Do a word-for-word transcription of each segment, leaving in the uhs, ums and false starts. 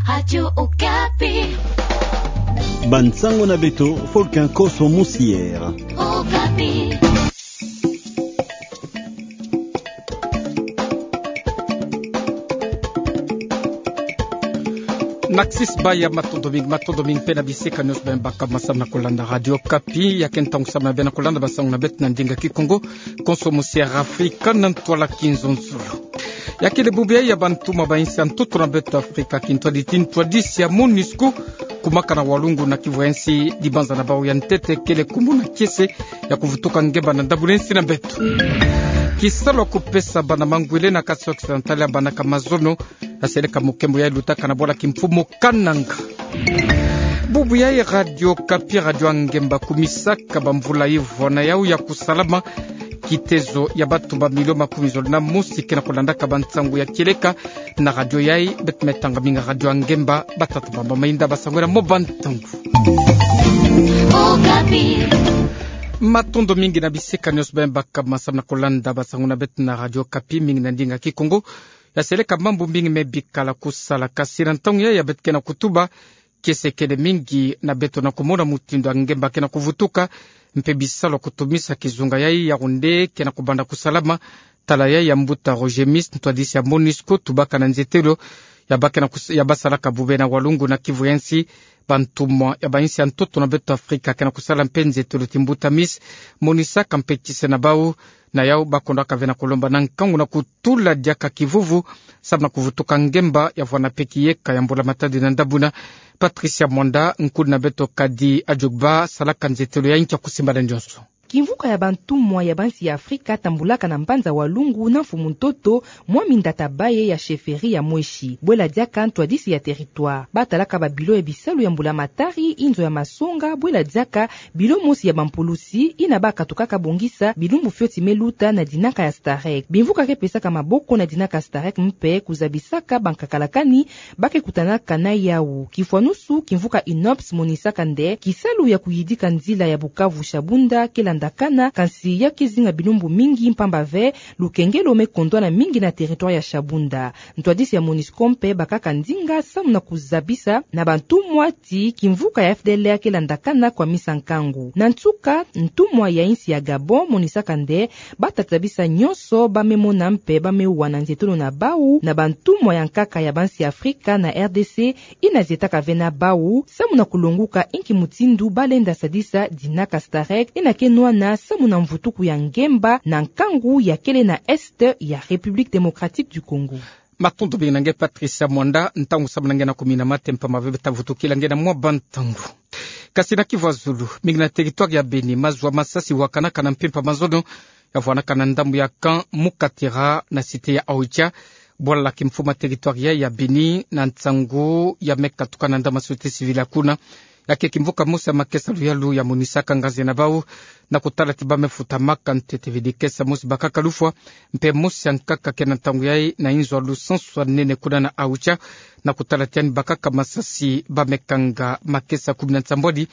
Radio Okapi. Bansango na beto, Folkin Koso Musier. Okapi. Naksisi baya, matondo mingi, matondo mingi mpe na bisika nionso beno baka masamu na kolanda Radio Okapi. Ya ke ntangu samu na beno na kolanda bansango na beto na ndinga Kikongo, Koso Musier Afrika na ntwala kinzonzolo. Ya kele bubu yai ya bantumwa ba insi ya ntoto na beto Afrika, kintwadisi, kintwadisi ya MONUSCO, kumaka na walungu na kivu ya insi, dibanza na bau ya ntete kele kumuna kiese ya kuvutuka ngemba na ndambu na insi na beto. Kisalu ya kupesa bana mangwele na Kasai Occidental ya bana ka mazono, ya seleka mokembo yai lutaka na bwala kimfumu Kananga. Bubu yai Radio Okapi, radio ya ngemba, kumisaka bamvula ivwa na yau ya kusalama. Kitezo ya bato ba milio makumi zole na mosi ke na kulandaka bansango ya kieleka na radio yai. Beto me tanga mingi radio ya ngemba, batata, bamama, inda, basangwela mo bantangu. Okapi. Matondo mingi na bisika nionso beno baka masamu na kolanda bansango na beto na Radio Okapi, mingi na ndinga Kikongo. Ya seleka mambu mingi me bikala kusala, kasi na ntangu yai ya beto ke na kutuba, kiese kele mingi na beto na kumona mutindu ya ngemba ke na kuvutuka, mpe bisalu ya kutumisa kizunga yai ya kunde ke na kubanda kusalama. Tala yai ya mbuta Roger Mis, ntwadisi ya MONUSCO, tubaka na nzietelo ya ba ke na kus-, ya basalaka bube na walungu na kivu ya insi. Bantumwa ya ba insi ya ntoto na beto Afrika ke na kusala mpe nzietelo ti mbuta Mis, monisaka mpe kiese na bau, na yau bakondaka ve na kulomba na nkangu na kutula diaka kivuvu samu na kuvutuka ngemba ya vwanda mpe kiyeka ya mbula matadi na ndambu na. Patricia Mwanda, nkulu na beto Kadi Ajugba, salaka nzietelo yai nkia kusimba na nionso. Kimvuka ya bantumwa ya bansi ya Afrika tambulaka na mbanza walungu na mfumu ntoto, mwami Ndata Baye ya chefferie ya Mweshi. Bwela diaka ntwadisi ya territoire. Batalaka babilo ya bisalu ya mbula matari, inzo ya masonga, bwela diaka bilo mosi ya bampulusi, yina bakatukaka bongisa bilumbu fioti me luta na dinaka ya STAREC. Bimvuka ke pesaka maboko na dinaka STAREC mpe kuzabisaka bankakalakani ba ke kutanaka na yau. Kifwanusu, kimvuka UNOPS monisaka nde kisalu ya kuyidika nzila ya Bukavu Shabunda ke landakana, kansi ya ke zinga bilumbu mingi mpamba ve lukengelo me kondwana mingi na territoire ya Shabunda. Ntwadisi ya MONUSCO mpe bakaka ndinga samu na kuzabisa na bantumwa ti kimvuka ya FDLR ke landakana kwamisa nkangu. Na nsuka, ntumwa ya insi ya Gabon monisaka nde batata bisa nionso ba me mona mpe ba me wa na nzietolo na bau na bantumwa ya nkaka ya bansi ya Afrika na RDC, yina zietaka ve na bau samu na kulonguka inki mutindu ba lenda sadisa dinaka STAREC, yina ke nwana samu na mvutuku ya ngemba na nkangu ya kele na Est ya République Démocratique du Congo. Matondo mingi na nge Patricia Mwanda, ntangu samu na nge na kumina mate mpamba ve beta vutukila nge na mwa bantangu. Kasi na kivu ya zulu, mingi na territoire ya Beni, mazu ya masasi wakanaka na mpimpa mazono, ya vwanaka na ndambu ya camp Mukatira na cité ya Oicha, bwala la kimfumu ya territoire ya, ya Beni, na nsangu ya me katuka na ndambu ya société civile ya kuna. Ya ke kimvuka mosi ya makesa luyalu ya monisaka ngazi na bau, na kutala ti ba me futamaka ntete ve dikesa mosi bakaka lufwa, mpe mosi ya nkaka ke na ntangu yai na inzo ya lusansu ya nene kuna na Oicha, na kutala ti yandi bakaka masasi ba me kanga makesa kumi na nsambwadi,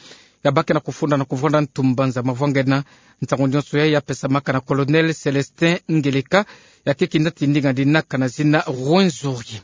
ya ba ke na kufunda na kuvwanda ntu mbanza mavwangana. Nsangu nionso yai ya pesamaka na Colonel Célestin Ngeleka, ya ke kinati ndinga dinaka na zina Rwenzori.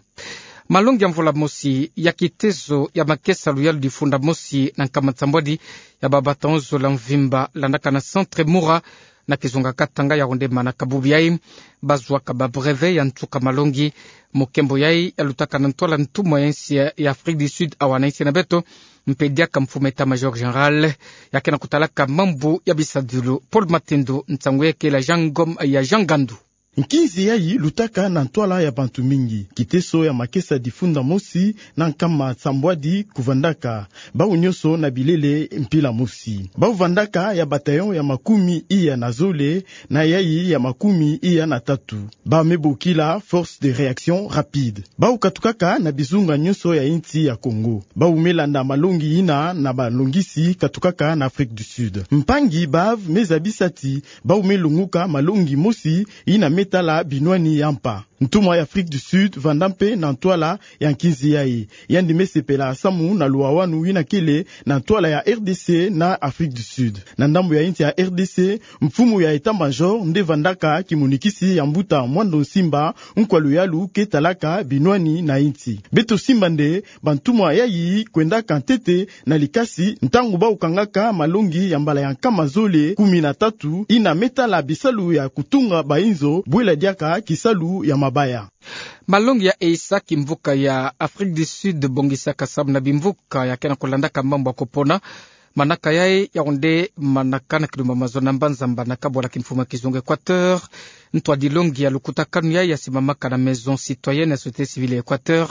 Malongi ya mvula mosi ya kitezo ya makesa luyalu difunda mosi na nkama nsambwadi ya ba bataillon zola mvimba landaka na Centre Mura na kizunga Katanga, ya onde manaka bubu yai ba zuaka ba brevet ya nsuka malongi. Mokembo yai ya lutaka na ntwala ntumwa ya insi ya, ya Afrique du Sud awa na insi na beto, mpe diaka mfumu état-major général ya ke na kutalaka mambu ya bisadilu. Paul Matendo, nsangu ya kele ya Jean Ngom, ya Jean Ngandu. Nkinzi yai lutaka na ntwala ya bantu mingi. Kitezo ya makesa difunda mosi na nkama nsambwadi kuvandaka, bau nionso na bilele mpila mosi. Bau vandaka ya bataillon ya makumi iya na zole na yai ya makumi iya na tatu. Ba me bokila force de réaction rapide. Bau katukaka na bizunga nionso ya insi ya Congo. Bau me landa malongi yina na balongisi katukaka na Afrique du Sud. Mpangi bav me zabisa ti bau me longuka malongi mosi yina me tala binwani ya mpa. Ntumwa ya Afrique du Sud vanda mpe na ntwala ya nkinzi yayi. Yandi me sepela samu na luwawanu yina kele na ntwala ya R D C na Afrique du Sud. Na ndambu ya insi ya R D C, mfumu ya état-major nde vandaka kimonikisi ya mbuta Mwando Nsimba, nkwa luyalu ke talaka binwani na insi. Beto simba nde bantumwa yayi kwendaka ntete na likasi ntangu bau kangaka malongi ya mbala ya nkama zole kumi na tatu, yina me tala bisalu ya kutunga bainzo, bwela diaka kisalu ya mabaya. Malongi ya eisa kimvuka ya Afrique du Sud bongisaka samu na bimvuka ya ke na kulandaka mambu ya kupona. Manaka yayi, yau nde manaka na kilumba mazono na mbanza mbanaka bwala kimfumu ya kizunga Équateur. Ntwadilongi ya lukutakanu yayi ya simamaka na Maison Citoyenne ya Société Civile ya Équateur,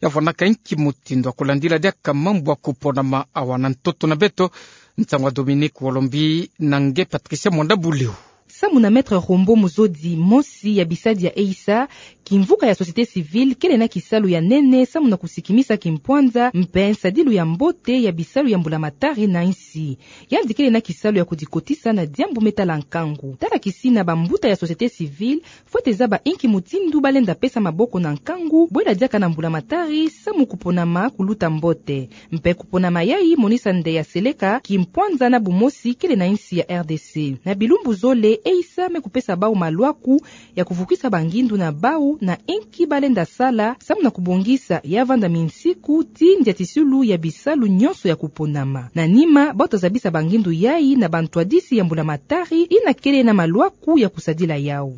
ya vwanaka nki mutindu ya kulandila diaka mambu ya kuponama awa na ntoto na beto. Nsangu ya Dominique Wolombi na nge Patricia Mwanda Buleo. Samu na Maître Rombo Muzodi, mosi ya bisadi ya eisa, kimvuka ya société civile kele na kisalu ya nene samu na kusikimisa kimpwanza mpe nsadilu ya mbote ya bisalu ya mbulamatari na insi. Yandi kele na kisalu ya kudikotisa na diambu me tala nkangu. Tala kisina bambuta ya société civile, fwete zaba inki mutindu balenda pesa maboko na nkangu, bwela diaka na mbulamatari, samu kuponama kuluta mbote. Mpe kuponama yayi monisa nde ya seleka kimpwanza na bumosi kele na insi ya R D C. Na bilumbu zole, eisa me kupesa bau malwaku ya kuvukisa bangindu na bau na inki balenda sala samu na kubongisa ya vanda minsiku ti ndiatisulu ya bisalu nyonso ya kuponama. Na nima, bau ta zabisa bangindu yayi na bantwadisi ya mbulamatari yina kele na malwaku ya kusadila yau.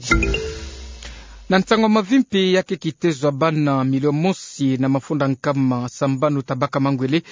Na nsangu ya mavimpi ya ke kitezo ya bana milio mosi na mafunda nkama sambanu tabaka mangwele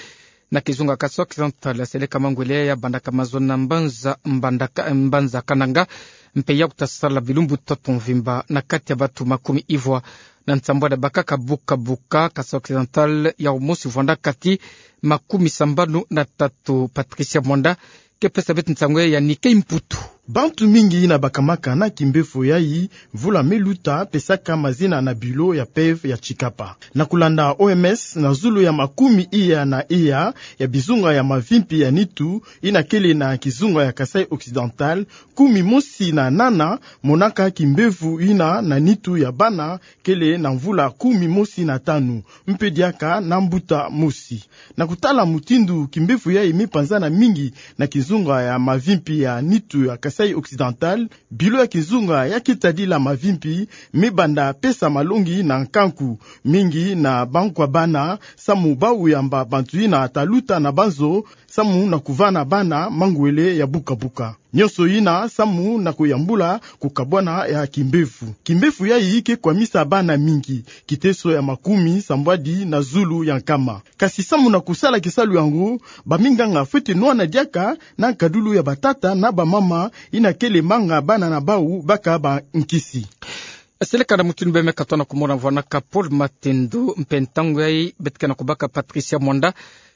na kizunga Kasaï Occidental, ya seleka mangwele ya bandaka mazono na mbanza, mbandaka, mbanza Kananga, mpe yau ta sala bilumbu tatu mvimba na kati ya batu makumi ivwa na nsambwadi ya bakaka buka buka Kasaï Occidental, yau mosi vwanda kati makumi sambanu na tatu. Patricia Mwanda ke pesa beto nsangu ya Nikkei Mputu. Bantu mingi yina bakamaka na kimbefo yayi mvula me luta pesaka mazina na bilo ya peve ya Tshikapa. Na kulanda O M S, na zulu ya makumi iya na iya ya bizunga ya mavimpi ya nitu yina kele na kizunga ya Kasaï Occidental, kumi mosi na nana monaka kimbevo yina na nitu ya bana kele na mvula kumi mosi na tanu, mpe diaka na mbuta mosi. Na kutala mutindu kimbevo yayi me panzana mingi na kizunga ya mavimpi ya nitu ya Kasaï Occidental, bilo ya kizunga ya ke tadila mavimpi me banda pesa malongi na nkangu mingi na bankwa bana, samu bau yamba bantu yina ta luta na banzo, samu na kuvana bana mangwele ya buka buka. Nyonso yina samu na kuyambula kukabwana ya kimbevo. Kimbevo yayi ke kwamisa bana mingi, kiteso ya makumi sambwadi na zulu ya nkama. Kasi samu na kusala kisalu yango, baminganga fwete nwana diaka na nkadulu ya batata na bamama yina kele manga bana na bau baka bankisi. Seleka na mutindu bê me katoa na kumona vwanaka Paul Matendo, mpe ntangu yayi beto ke na kubaka Patricia Mwanda,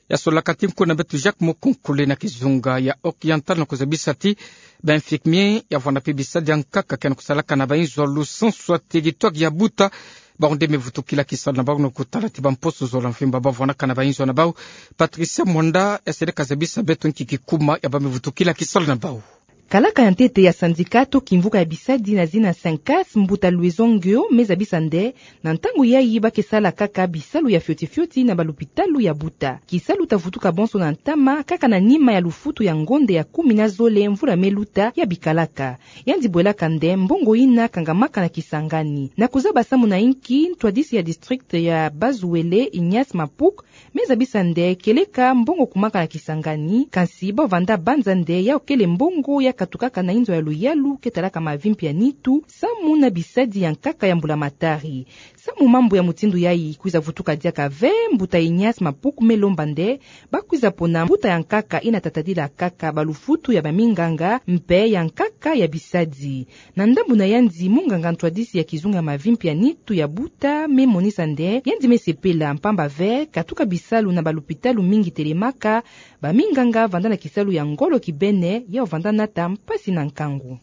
ya solaka ti nko na beto Jacques Mukonkole na kizunga ya Occidental na kuzabisa ti ba infirmier ya vwanda mpe bisadi ya nkaka ke na kusalaka na bainzo ya lusansu ya territoire ya Buta, bau nde me vutukila kisalu na bau na kutala ti bamposo zola mvimba bau vwanaka na bainzo na bau. Patricia Mwanda, ya seleka zabisa beto nki kikuma ya bau me vutukila kisalu na bau. Kalaka ya ntete ya syndicat to kimvuka ya bisadi na zina Syncas, mbuta Louison Ngio, me zabisa nde na ntangu yayi ba ke sala kaka bisalu ya fioti fioti na balupitalu ya Buta. Kisalu ta vutuka bonso na ntama kaka na nima ya lufutu ya ngonde ya kumi na zole mvula me luta ya bikalaka. Yandi bwelaka nde mbongo yina kangamaka na Kisangani. Na kuzaba samu na inki, ntwadisi ya district ya Bas-Uele, Ignace Mapuk, me zabisa nde kieleka mbongo kumaka na Kisangani, kansi bau vanda banza nde yau kele mbongo ya katukaka na inzo ya luyalu ke talaka mavimpi ya nitu, samu na bisadi ya nkaka ya mbulamatari. Samu mambu ya mutindu yayi kwiza vutuka diaka ve, mbuta Ignace Mapuk me lomba nde ba kwiza pona mbuta ya nkaka yina ta tadila kaka balufutu ya baminganga mpe ya nkaka ya bisadi. Na ndambu na yandi, munganga ntwadisi ya kizunga ya mavimpi ya nitu ya Buta me monisa nde yandi me sepela mpamba ve katuka bisalu na balupitalu mingi telemaka, baminganga vanda na kisalu ya ngolo kibene, yau vanda nata mpasi na nkangu.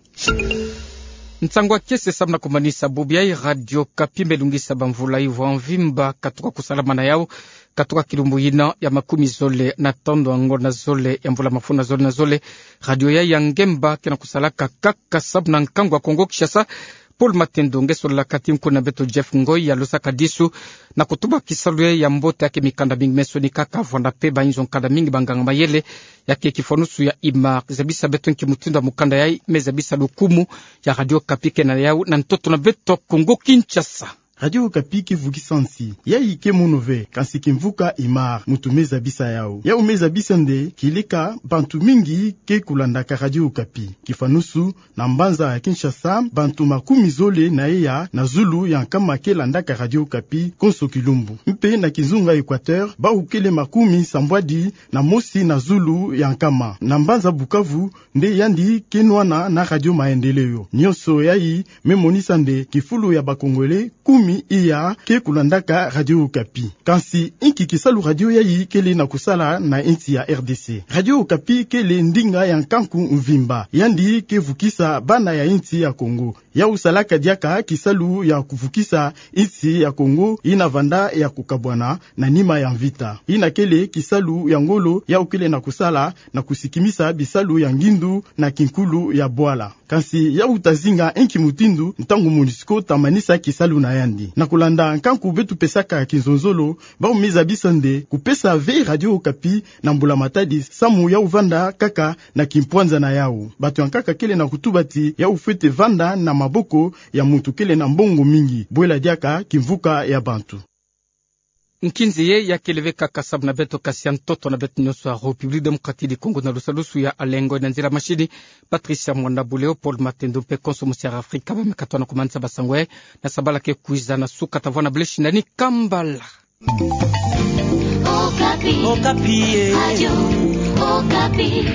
Nsangu ya kiese samu na kumanisa bubu yayi. Radio Okapi me lungisa bamvula ivwa mvimba katuka kusalama na yau, katuka kilumbu yina ya makumi zole na tanu ya ngonda zole ya mvula mafunda zole na zole. Radio yayi ya ngemba ke na kusalaka kaka samu na nkangu ya Kongo Kinshasa, Paul Matendo, nge solelaka ti nkuna beto Jeff Ngoi, ya losaka disu na kutuba kisalu ye ya mbote ya ke mikanda mingi, me soni kaka vwanda pe ba inzo nkanda mingi ba nganga mayele ya ke kifwanusu ya IMAR. Zabisa beto nki mutindu ya mukanda yayi, me zabisa lukumu ya Radio Okapi ke na yau na ntoto na beto Kongo Kinshasa. Radio Okapi ke vukisa nsi. Yayi ke mono ve, kansi kimvuka IMAR, muntu me zabisa yau. Yau me zabisa nde, kileka bantu mingi ke kulandaka Radio Okapi. Kifwanusu, na mbanza ya Kinshasa, bantu makumi zole na eya na zulu ya nkama ke landaka Radio Okapi konso kilumbu. Mpe na kinzunga Equateur, bau kele makumi sambwadi na mosi na zulu ya nkama. Na mbanza Bukavu, nde yandi ke nwana na Radio Maendeleo. Nyonso yayi me monisa nde kifulu ya ba Congolais kumi iya ke kulandaka Radio Okapi. Kansi, inki kisalu radio yayi kele na kusala na insi ya R D C? Radio Okapi kele ndinga ya nkanku mvimba. Yandi ke vukisa bana ya insi ya Kongo. Yau salaka diaka kisalu ya kuvukisa insi ya Kongo yina vanda ya kukabwana na nima ya mvita. Yina kele kisalu ya ngolo yau kele na kusala na kusikimisa bisalu ya ngindu na kinkulu ya bwala. Kansi yau ta zinga inki mutindu ntangu MONUSCO ta manisa kisalu na yandi. Na kulanda nkanku beto pesaka kinzonzolo, bau me zabisa nde kupesa ve Radio Okapi na mbula-matadi samu yau vanda kaka na kimpwanza na yau. Bato ya nkaka kele na kutuba ti yau fwete vanda na maboko ya muntu kele na mbongo mingi, bwela diaka kimvuka ya bantu. Nkinzi ye ya kele ve kaka samu na beto, kasi ya ntoto na beto nyonso ya République Démocratique du Congo na lusalusu ya Alain Ngoi, na nzila machine Patricia Mwanda Buleo, Paul Matendo mpe konso mosi ya Afrika ba me katoa na kumanisa ba sango yayi. Na sabala ke kwiza na suka ta vwanda, baleshi nani kambala. Okapi. Okapi, eh. Radio Okapi.